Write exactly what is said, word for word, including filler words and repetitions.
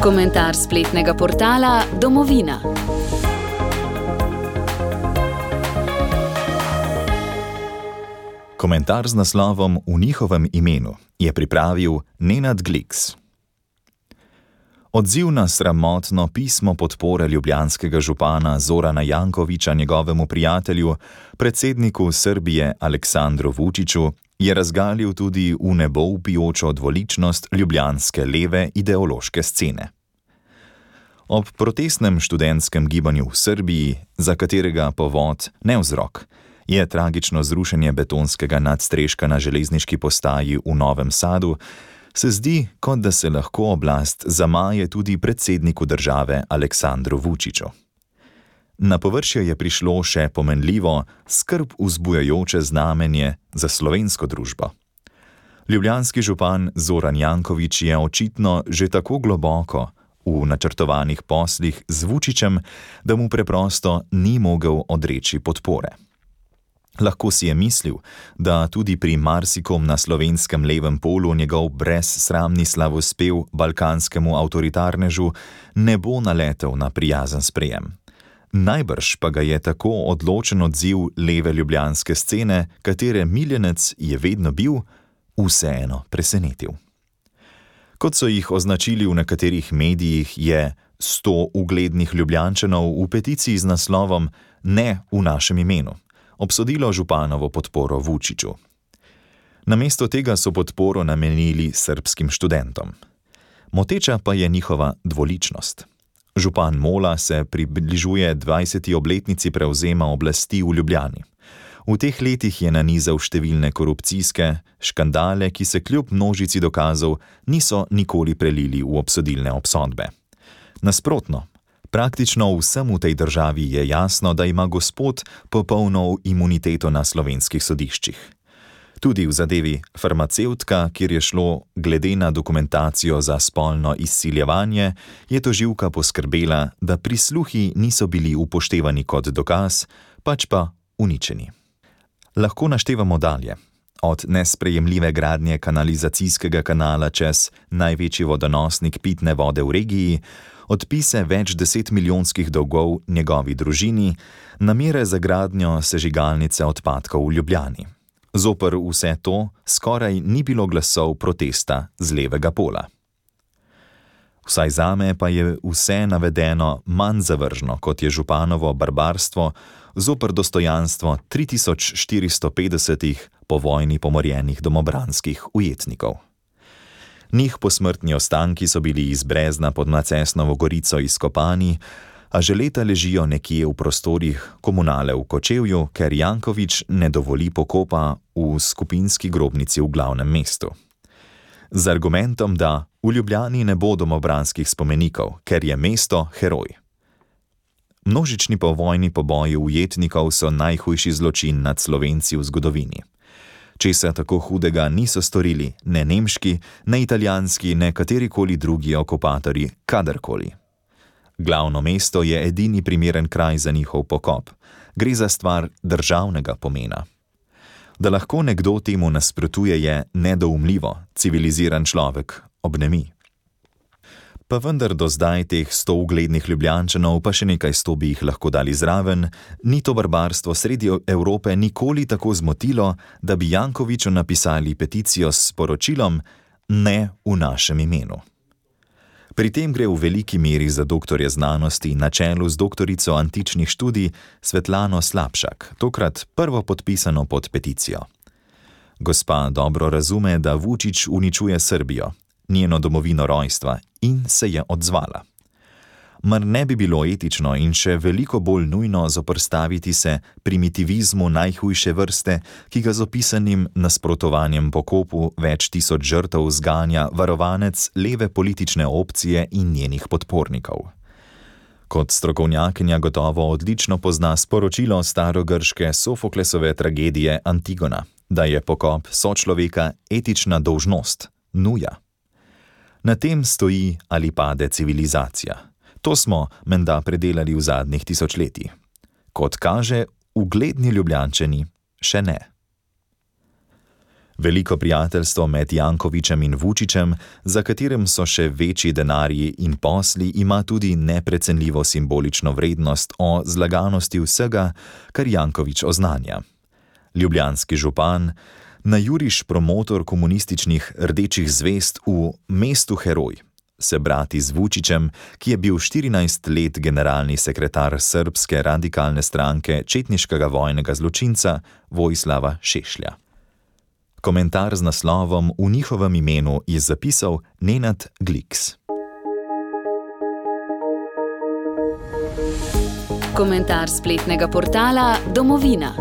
Komentar spletnega portala Domovina. Komentar z naslovom V njihovem imenu je pripravil Nenad Gliks. Odziv na sramotno pismo podpore ljubljanskega župana Zorana Jankovića njegovemu prijatelju, predsedniku Srbije Aleksandru Vučiću, je razgalil tudi v nebo vpijočo dvoličnost ljubljanske leve ideološke scene. Ob protestnem študentskem gibanju v Srbiji, za katerega povod ne vzrok, je tragično zrušenje betonskega nadstreška na železniški postaji v Novem Sadu, se zdi, kot da se lahko oblast zamaje tudi predsedniku države Aleksandru Vučiću. Na površje je prišlo še pomenljivo, skrb vzbujajoče znamenje za slovensko družbo. Ljubljanski župan Zoran Janković je očitno že tako globoko v načrtovanih poslih z Vučićem, da mu preprosto ni mogel odreči podpore. Lahko si je mislil, da tudi pri marsikom na slovenskem levem polu njegov brezsramni slavospev balkanskemu avtoritarnežu ne bo naletel na prijazen sprejem. Najbrž pa ga je tako odločen odziv leve ljubljanske scene, katere miljenec je vedno bil, vseeno presenetil. Kot so jih označili v nekaterih medijih, je sto uglednih Ljubljančanov v peticiji z naslovom Ne v našem imenu obsodilo županovo podporo Vučiću. Namesto tega so podporo namenili srbskim študentom. Moteča pa je njihova dvoličnost. Župan Mola se približuje dvajseti obletnici prevzema oblasti v Ljubljani. V teh letih je nanizal številne korupcijske škandale, ki se kljub množici dokazov niso nikoli prelili v obsodilne obsodbe. Nasprotno, praktično vsem v tej državi je jasno, da ima gospod popolno imuniteto na slovenskih sodiščih. Tudi v zadevi farmacevtka, kjer je šlo glede na dokumentacijo za spolno izsiljevanje, je tožilka poskrbela, da prisluhi niso bili upoštevani kot dokaz, pač pa uničeni. Lahko naštevamo dalje. Od nesprejemljive gradnje kanalizacijskega kanala čez največji vodonosnik pitne vode v regiji, odpise več deset milijonskih dolgov njegovi družini, namere za gradnjo sežigalnice odpadkov v Ljubljani. Zoper vse to skoraj ni bilo glasov protesta z levega pola. Vsaj zame pa je vse navedeno manj zavržno, kot je županovo barbarstvo zoper dostojanstvo tri tisoč štiristo petdesetih po vojni pomorjenih domobranskih ujetnikov. Njih posmrtni ostanki so bili iz Brezna pod Macesnovo Gorico izkopani, a že leta ležijo nekje v prostorih komunale v Kočevju, ker Janković ne dovoli pokopa v skupinski grobnici v glavnem mestu. Z argumentom, da v Ljubljani ne bo domobranskih spomenikov, ker je mesto heroj. Množični povojni poboji ujetnikov so najhujši zločin nad Slovenci v zgodovini. Česa tako hudega niso storili ne nemški, ne italijanski, ne katerikoli drugi okupatorji kadarkoli. Glavno mesto je edini primeren kraj za njihov pokop. Gre za stvar državnega pomena. Da lahko nekdo temu nasprotuje, je nedoumljivo, civiliziran človek obnemi. Pa vendar do zdaj teh sto uglednih Ljubljančanov, pa še nekaj sto bi jih lahko dali zraven, ni to barbarstvo sredi Evrope nikoli tako zmotilo, da bi Jankoviću napisali peticijo s sporočilom Ne v našem imenu. Pri tem gre v veliki meri za doktorje znanosti na čelu z doktorico antičnih študij Svetlano Slapšak, tokrat prvo podpisano pod peticijo. Gospa dobro razume, da Vučić uničuje Srbijo, njeno domovino rojstva, in se je odzvala. Mar ne bi bilo etično in še veliko bolj nujno zoprstaviti se primitivizmu najhujše vrste, ki ga z opisanim nasprotovanjem pokopu več tisoč žrtev zganja varovanec leve politične opcije in njenih podpornikov? Kot strokovnjakinja gotovo odlično pozna sporočilo starogrške Sofoklesove tragedije Antigona, da je pokop sočloveka etična dolžnost, nuja. Na tem stoji ali pade civilizacija. To smo menda predelali v zadnjih tisočletjih. Kot kaže, ugledni Ljubljančani še ne. Veliko prijateljstvo med Jankovićem in Vučićem, za katerim so še večji denarji in posli, ima tudi neprecenljivo simbolično vrednost o zlaganosti vsega, kar Janković oznanja. Ljubljanski župan, najuriš promotor komunističnih rdečih zvezd v mestu heroj, se brati z Vučićem, ki je bil štirinajst let generalni sekretar srbske radikalne stranke četniškega vojnega zločinca Vojislava Šešlja. Komentar z naslovom V njihovem imenu je zapisal Nenad Gliks. Komentar spletnega portala Domovina.